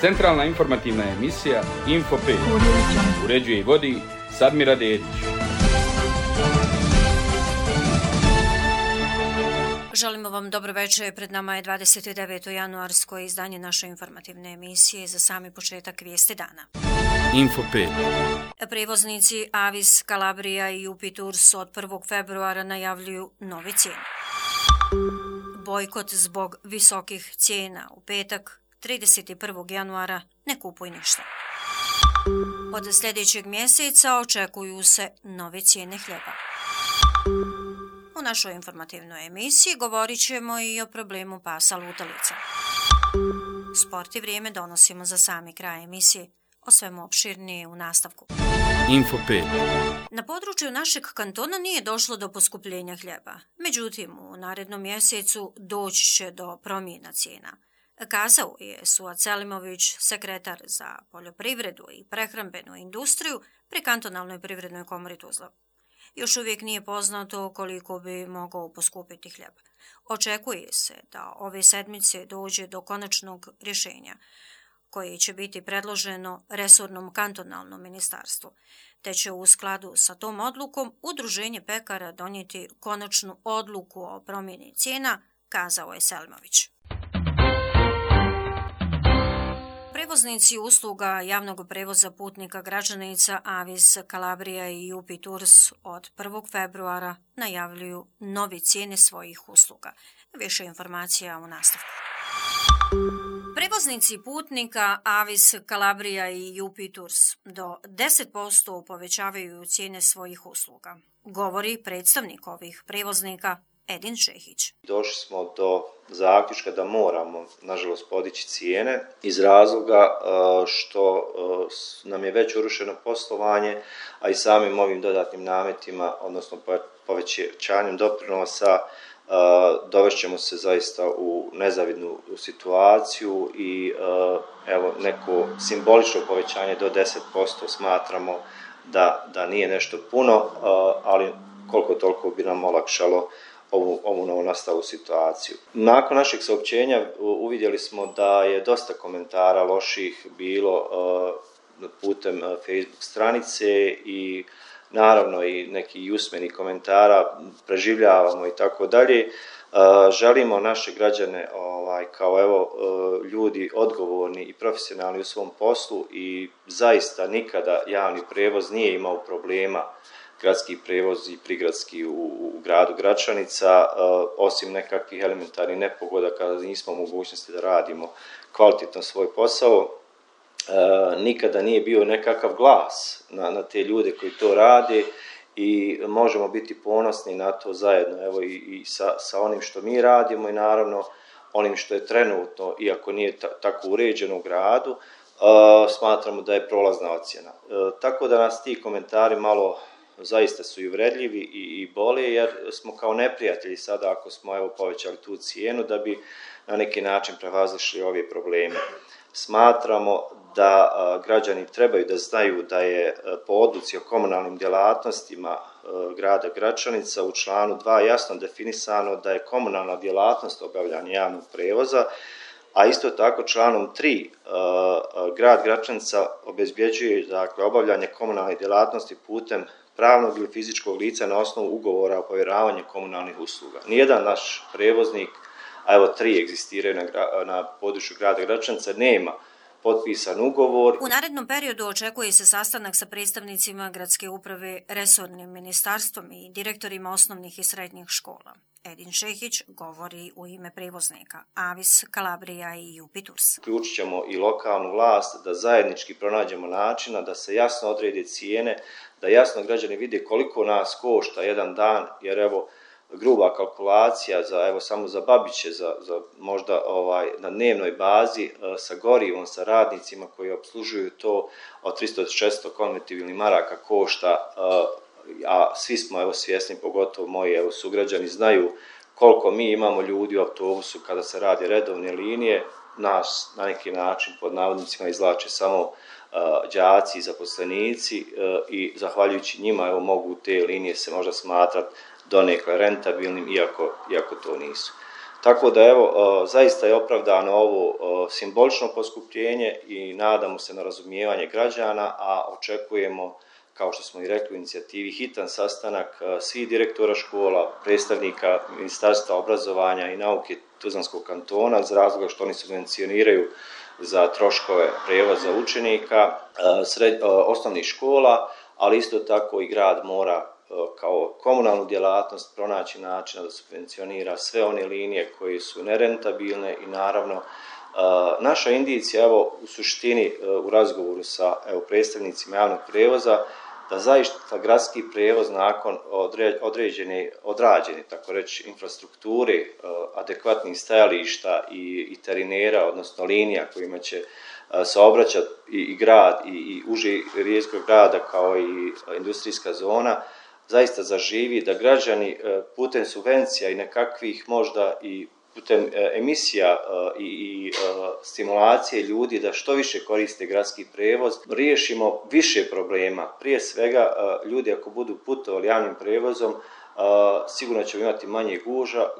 Centralna informativna emisija Info 5. Uređuje i vodi Sadmira Dedić. Želimo vam dobro večer. Pred nama je 29. januarsko izdanje naše informativne emisije za sami početak vijesti dana. Info 5. Prevoznici Avis, Kalabrija i UP Tours od 1. februara najavljuju nove cijene. Bojkot zbog visokih cijena u petak 31. januara ne kupuj ništa. Od sljedećeg mjeseca očekuju se nove cijene hljeba. U našoj informativnoj emisiji govorit ćemo i o problemu pasa lutalica. Sport i vrijeme donosimo za sami kraj emisije, o svemu opširnije u nastavku. Info 5. Na području našeg kantona nije došlo do poskupljenja hljeba. Međutim, u narednom mjesecu doći će do promjena cijena. Kazao je Suad Selimović, sekretar za poljoprivredu i prehrambenu industriju pri Kantonalnoj privrednoj komori Tuzla. Još uvijek nije poznato koliko bi mogao poskupiti hljeb. Očekuje se da ove sedmice dođe do konačnog rješenja, koje će biti predloženo resornom kantonalnom ministarstvu, te će u skladu sa tom odlukom Udruženje pekara donijeti konačnu odluku o promjeni cijena, kazao je Selimović. Prevoznici usluga javnog prevoza putnika građanica Avis, Kalabrija i UP Tours od 1. februara najavljuju nove cijene svojih usluga. Više informacija u nastavku. Prevoznici putnika Avis, Kalabrija i UP Tours do 10% povećavaju cijene svojih usluga, govori predstavnik ovih prevoznika Edin Čehić. Došli smo do zaključka da moramo, nažalost, podići cijene iz razloga što nam je već urušeno poslovanje, a i samim ovim dodatnim nametima, odnosno povećanjem doprinosa, dovešćemo se zaista u nezavidnu situaciju i evo neko simbolično povećanje do 10% smatramo da nije nešto puno, ali koliko toliko bi nam olakšalo ovu novonastalu situaciju. Nakon našeg saopćenja uvidjeli smo da je dosta komentara loših bilo putem Facebook stranice i naravno i neki usmeni komentara, preživljavamo i tako dalje. Želimo naše građane kao evo ljudi odgovorni i profesionalni u svom poslu i zaista nikada javni prevoz nije imao problema, gradski prevoz i prigradski u gradu Gračanica, osim nekakvih elementarnih nepogoda kada nismo u mogućnosti da radimo kvalitetno svoj posao. Nikada nije bio nekakav glas na te ljude koji to rade i možemo biti ponosni na to zajedno, evo i sa onim što mi radimo i naravno onim što je trenutno, iako nije tako uređeno u gradu, smatramo da je prolazna ocjena. Tako da nas ti komentari malo zaista su i uvredljivi i bole, jer smo kao neprijatelji sada ako smo evo povećali tu cijenu da bi na neki način prevazišli ove probleme. Smatramo da građani trebaju da znaju da je po odluci o komunalnim djelatnostima grada Gračanica u članu 2 jasno definisano da je komunalna djelatnost obavljanja javnog prevoza, a isto tako članom 3 grad Gračanica obezbjeđuje dakle obavljanje komunalne djelatnosti putem pravnog ili fizičkog lica na osnovu ugovora o povjeravanju komunalnih usluga. Nijedan naš prevoznik, a evo 3 egzistiraju na području grada Gračanica, nema potpisan ugovor. U narednom periodu očekuje se sastanak sa predstavnicima gradske uprave, resornim ministarstvom i direktorima osnovnih i srednjih škola. Edin Čehić govori u ime prevoznika Avis, Kalabrija i UP Tours. Uključit ćemo i lokalnu vlast da zajednički pronađemo načina da se jasno odrede cijene, da jasno građani vide koliko nas košta jedan dan, jer evo gruba kalkulacija samo za Babiće, za možda na dnevnoj bazi sa gorivom, sa radnicima koji obslužuju to od 300-600 konvertibilnih maraka košta, a svi smo evo svjesni, pogotovo moji evo sugrađani znaju koliko mi imamo ljudi u autobusu kada se radi redovne linije. Nas na neki način pod navodnicima izvlače samo đaci i zaposlenici i zahvaljujući njima evo mogu te linije se možda smatrati donekle rentabilnim, iako to nisu. Tako da evo, zaista je opravdano ovo simbolično poskupljenje i nadamo se na razumijevanje građana, a očekujemo, kao što smo i rekli u inicijativi, hitan sastanak svih direktora škola, predstavnika Ministarstva obrazovanja i nauke Tuzlanskog kantona, iz razloga što oni subvencioniraju za troškove prijevoza učenika osnovnih škola, ali isto tako i grad mora kao komunalnu djelatnost pronaći načina da subvencionira sve one linije koje su nerentabilne i naravno naša indicija, evo u suštini u razgovoru sa predstavnicima javnog prijevoza, da zaista gradski prijevoz nakon odrađene, tako reći, infrastrukture, adekvatnih stajališta i terinera, odnosno linija kojima će saobraćati i grad i uži riječkog grada kao i industrijska zona, zaista zaživi, da građani putem subvencija i nekakvih možda i putem emisija i stimulacije ljudi da što više koriste gradski prijevoz, riješimo više problema. Prije svega, ljudi ako budu putovali javnim prijevozom, sigurno ćemo imati manje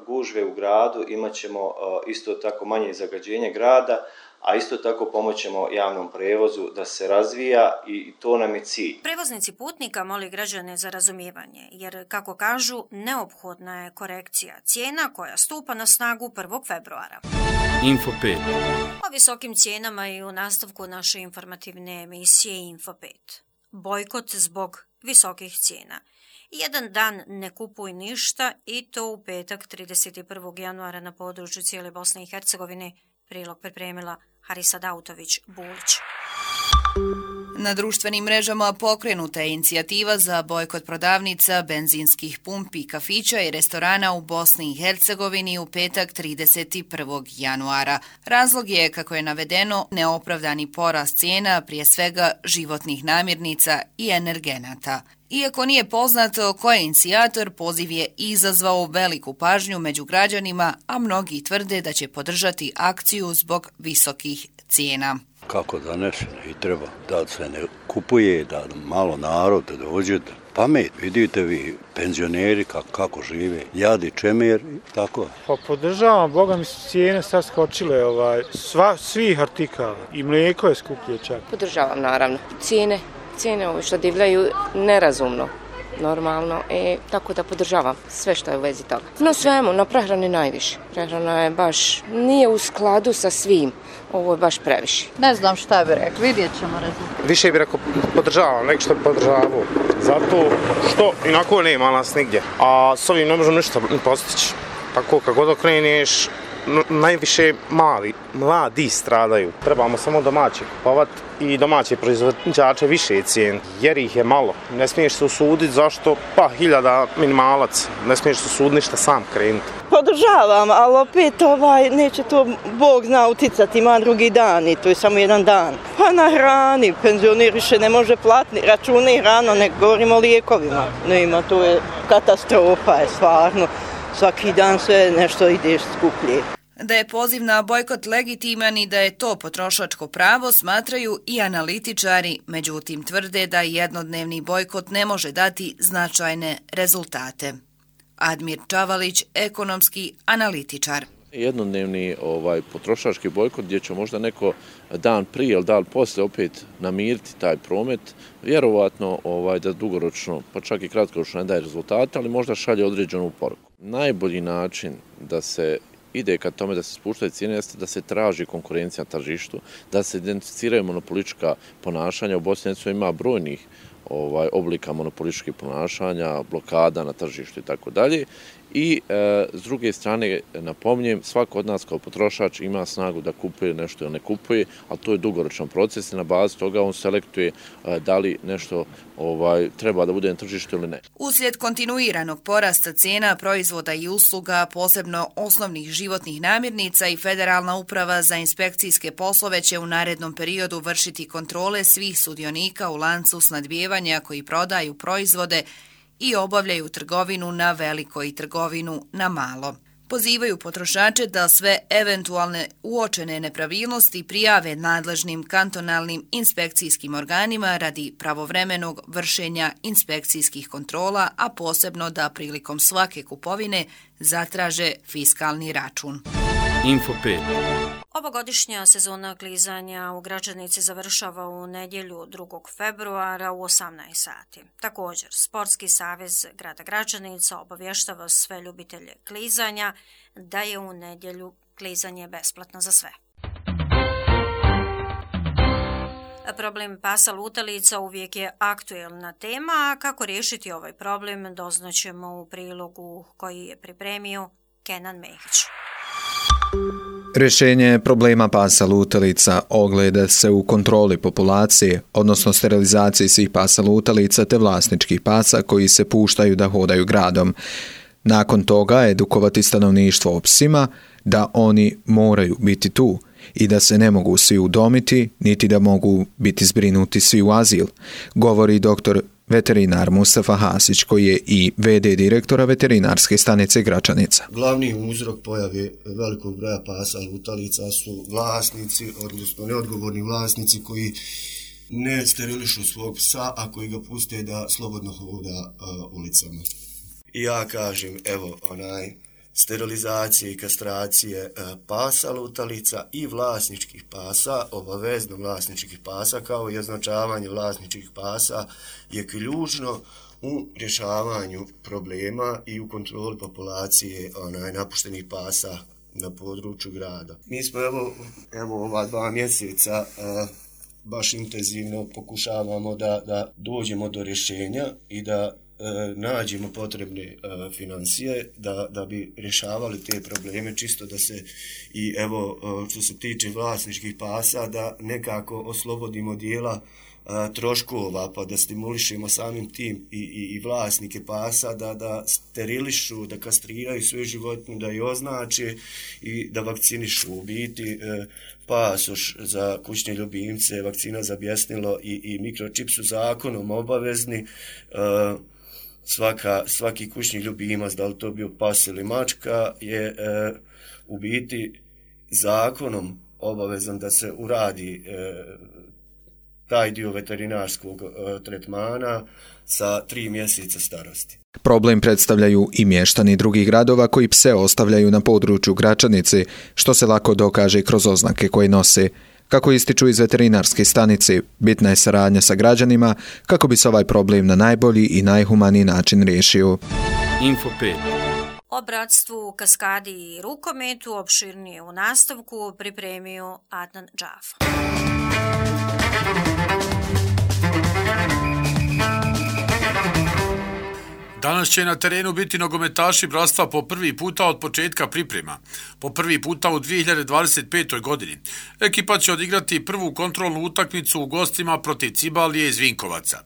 gužve u gradu, imat ćemo isto tako manje zagađenje grada, a isto tako pomoćemo javnom prevozu da se razvija i to nam je cilj. Prevoznici putnika moli građane za razumijevanje, jer, kako kažu, neophodna je korekcija cijena koja stupa na snagu 1. februara. Info 5. O visokim cijenama i u nastavku naše informativne emisije Info 5. Bojkot zbog visokih cijena. Jedan dan ne kupuj ništa i to u petak 31. januara na području cijele Bosne i Hercegovine. Prilog pripremila Harisa Dautović-Bulić. Na društvenim mrežama pokrenuta je inicijativa za bojkot prodavnica, benzinskih pumpi, kafića i restorana u Bosni i Hercegovini u petak 31. januara. Razlog je, kako je navedeno, neopravdani porast cijena, prije svega životnih namirnica i energenata. Iako nije poznato ko je inicijator, poziv je izazvao veliku pažnju među građanima, a mnogi tvrde da će podržati akciju zbog visokih cijena. Kako da ne i treba da se ne kupuje, da malo narod dođe, pamet, vidite vi, penzioneri kako žive, jadi, čemer, tako. Pa podržavam, boga mi su cijene sad skočile, svih artikala i mlijeko je skuplje čak. Podržavam naravno, cijene ovo što divljaju nerazumno, normalno, tako da podržavam sve što je u vezi toga. No svemu, na prehrani najviše. Prehrana je baš, nije u skladu sa svim, ovo je baš previše. Ne znam šta bi rekao, vidjet ćemo rezultat. Više bi rekao podržavam, nek što bi podržavao, zato što inako nema nas nigdje, a s ovim ne možemo ništa postići. Tako kako god okreneš, najviše mladi stradaju. Trebamo samo domaće kupovati i domaće proizvođače više cijeni, jer ih je malo. Ne smiješ se usuditi, zašto? Pa 1000 minimalac, ne smiješ se usuditi ništa sam krenuti. Podržavam, ali opet neće to Bog zna uticati, ima drugi dan i to je samo jedan dan. Pa na hrani, penzioner više ne može platiti račune i hrano, ne govorimo o lijekovima. Nema, to je katastrofa, je stvarno. Svaki dan sve nešto ide skuplje. Da je poziv na bojkot legitiman i da je to potrošačko pravo smatraju i analitičari, međutim tvrde da jednodnevni bojkot ne može dati značajne rezultate. Admir Čavalić, ekonomski analitičar. Jednodnevni potrošački bojkot gdje će možda neko dan prije ili dan poslije opet namiriti taj promet, vjerovatno da dugoročno, pa čak i kratkoročno ne daje rezultate, ali možda šalje određenu poruku. Najbolji način da se ide ka tome da se spuštaju cijene jeste da se traži konkurencija na tržištu, da se identificiraju monopolistička ponašanja. U Bosni i Hercegovini ima brojnih oblika monopolističkih ponašanja, blokada na tržištu i tako dalje. I s druge strane, napominjem, svako od nas kao potrošač ima snagu da kupuje nešto ili ne kupuje, ali to je dugoročan proces i na bazi toga on selektuje da li nešto treba da bude na tržištu ili ne. Uslijed kontinuiranog porasta cijena proizvoda i usluga, posebno osnovnih životnih namirnica, i Federalna uprava za inspekcijske poslove će u narednom periodu vršiti kontrole svih sudionika u lancu snabdijevanja koji prodaju proizvode i obavljaju trgovinu na veliko i trgovinu na malo. Pozivaju potrošače da sve eventualne uočene nepravilnosti prijave nadležnim kantonalnim inspekcijskim organima radi pravovremenog vršenja inspekcijskih kontrola, a posebno da prilikom svake kupovine zatraže fiskalni račun. Info 5. Ovogodišnja sezona klizanja u Gračanici završava u nedjelju 2. februara u 18 sati. Također, Sportski savez grada Gračanica obavještava sve ljubitelje klizanja da je u nedjelju klizanje besplatno za sve. Problem pasa lutalica uvijek je aktuelna tema, a kako riješiti ovaj problem doznaćemo u prilogu koji je pripremio Kenan Mehić. Rješenje problema pasa lutalica ogleda se u kontroli populacije, odnosno sterilizaciji svih pasa lutalica te vlasničkih pasa koji se puštaju da hodaju gradom. Nakon toga edukovati stanovništvo o psima da oni moraju biti tu i da se ne mogu svi udomiti, niti da mogu biti zbrinuti svi u azil, govori doktor veterinar Mustafa Hasić, koji je i VD direktora veterinarske stanice Gračanica. Glavni uzrok pojave velikog broja pasa lutalica su vlasnici, odnosno neodgovorni vlasnici koji ne sterilišu svog psa, a koji ga puste da slobodno hoda ulicama. I ja kažem, evo, sterilizacije i kastracije pasa lutalica i vlasničkih pasa, obavezno vlasničkih pasa, kao i označavanje vlasničkih pasa je ključno u rješavanju problema i u kontroli populacije napuštenih pasa na području grada. Mi smo evo ova 2 mjeseca baš intenzivno pokušavamo da dođemo do rješenja i da nađemo potrebne financije da bi rješavali te probleme, čisto da se i evo što se tiče vlasničkih pasa da nekako oslobodimo dijela troškova, pa da stimulišemo samim tim i vlasnike pasa da sterilišu, da kastriraju svoju životinju, da je označe i da vakcinišu. U biti pasoš za kućne ljubimce, vakcina za bjesnilo i mikročip su zakonom obavezni. Svaki kućni ljubimac, da li to bio pas ili mačka, je u biti zakonom obavezan da se uradi taj dio veterinarskog tretmana sa 3 mjeseca starosti. Problem predstavljaju i mještani drugih gradova koji pse ostavljaju na području Gračanice, što se lako dokaže kroz oznake koje nose. Kako ističu iz veterinarske stanice, bitna je saradnja sa građanima kako bi se ovaj problem na najbolji i najhumaniji način riješio. Info 5. O bratstvu, kaskadi i rukometu opširnije u nastavku pripremio Adnan Džafa. Danas će na terenu biti nogometaši bratstva po prvi puta od početka priprema. Po prvi puta u 2025. godini. Ekipa će odigrati prvu kontrolnu utakmicu u gostima protiv Cibalije iz Vinkovaca.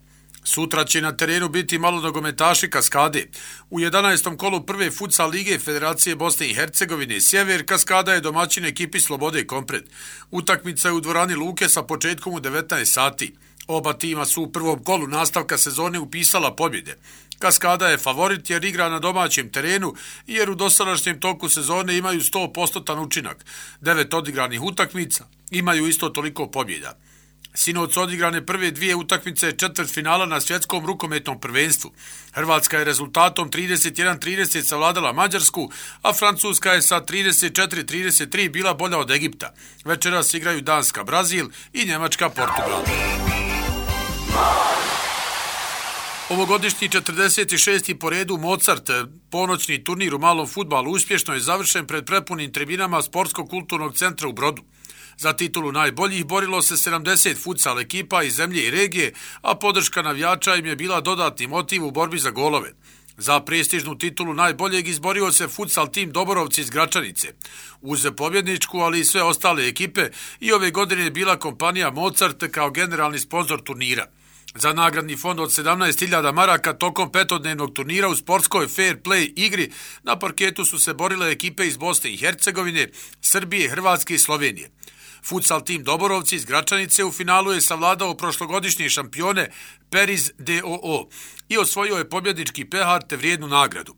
Sutra će na terenu biti malo nogometaši Kaskade. U 11. kolu prve futsal lige Federacije Bosne i Hercegovine Sjever Kaskada je domaćin ekipi Slobode Kompred. Utakmica je u dvorani Luke sa početkom u 19 sati. Oba tima su u prvom kolu nastavka sezone upisala pobjede. Kaskada je favorit jer igra na domaćem terenu jer u dosadašnjem toku sezone imaju 100% učinak. 9 odigranih utakmica, imaju isto toliko pobjeda. Sinoć odigrane prve 2 utakmice četvrtfinala na svjetskom rukometnom prvenstvu. Hrvatska je rezultatom 31-30 savladala Mađarsku, a Francuska je sa 34-33 bila bolja od Egipta. Večeras igraju Danska Brazil i Njemačka Portugal. Ovogodišnji 46. po redu Mozart ponoćni turnir u malom fudbalu uspješno je završen pred prepunim tribinama Sportsko-kulturnog centra u Brodu. Za titulu najboljih borilo se 70 futsal ekipa iz zemlje i regije, a podrška navijača im je bila dodatni motiv u borbi za golove. Za prestižnu titulu najboljeg izborio se futsal tim Doborovci iz Gračanice. Uz pobjedničku, ali i sve ostale ekipe, i ove godine je bila kompanija Mozart kao generalni sponzor turnira. Za nagradni fond od 17.000 maraka tokom petodnevnog turnira u sportskoj fair play igri na parketu su se borile ekipe iz Bosne i Hercegovine, Srbije, Hrvatske i Slovenije. Futsal tim Doborovci iz Gračanice u finalu je savladao prošlogodišnje šampione Periz DOO i osvojio je pobjednički pehar te vrijednu nagradu.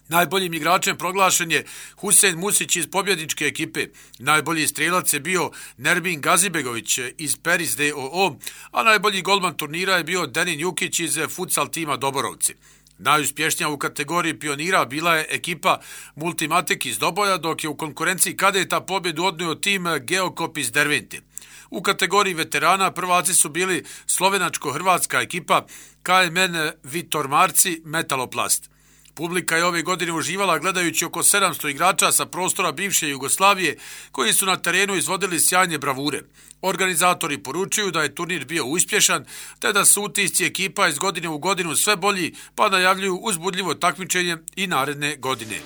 Najboljim igračem proglašen je Husein Musić iz pobjedničke ekipe. Najbolji strelac je bio Nerbin Gazibegović iz Peris DOO, a najbolji golman turnira je bio Denin Jukić iz futsal tima Doborovci. Najuspješnija u kategoriji pionira bila je ekipa Multimatic iz Doboja, dok je u konkurenciji kadeta pobjedu odnio tim Geokop iz Dervente. U kategoriji veterana prvaci su bili slovenačko-hrvatska ekipa KMN Vitor Marci Metaloplast. Publika je ove godine uživala gledajući oko 700 igrača sa prostora bivše Jugoslavije koji su na terenu izvodili sjajne bravure. Organizatori poručuju da je turnir bio uspješan, te da su utisci ekipa iz godine u godinu sve bolji, pa najavljuju uzbudljivo takmičenje i naredne godine.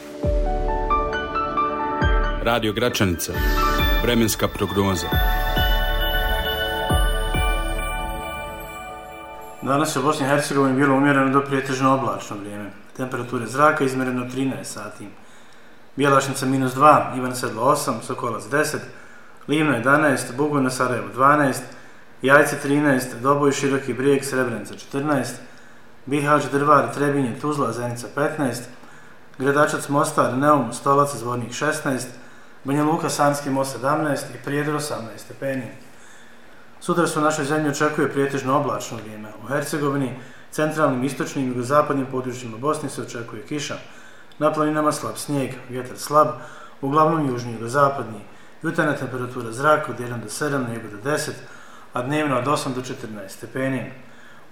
Radio Gračanica. Vremenska prognoza. Danas je u Bosni i Hercegovini bilo umjereno do pretežno oblačno vrijeme. Temperature zraka izmjereno 13 sati. Bjelašnica -2, Ivan Sedlo 8, Sokolac 10, Livno 11, Bugojno Sarajevo 12, Jajce 13, Doboj Široki Brijeg Srebrenica 14, Bihać Drvar Trebinje Tuzla Zenica 15, Gredačac Mostar Neum Stolac Zvornik 16, Banja Luka Sanski Most 17 i Prijedor 18 stepeni. Sutra se u našoj zemlji očekuje prijetežno oblačno vrijeme. U Hercegovini, centralnim, istočnim i jugozapadnim područjima Bosne se očekuje kiša. Na planinama slab snijeg, vjetar slab, uglavnom južni i jugozapadni. Jutarnja temperatura zraka od 1 do 7, na jugu do 10, a dnevno od 8 do 14 stepeni.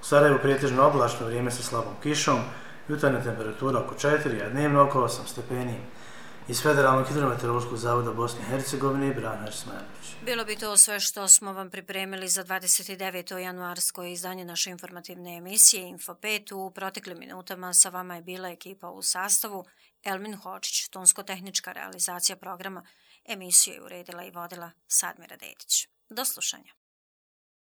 U Sarajevu prijetežno oblačno vrijeme sa slabom kišom, jutarnja temperatura oko 4, a dnevno oko 8 stepeni. Iz Federalnog hidrometeorološkog zavoda Bosne i Hercegovine, Branimir Smajlović. Bilo bi to sve što smo vam pripremili za 29. januarsko izdanje naše informativne emisije Info 5. U proteklim minutama sa vama je bila ekipa u sastavu Elmin Hočić, tonsko-tehnička realizacija programa. Emisiju je uredila i vodila Sadmira Dedić. Do slušanja.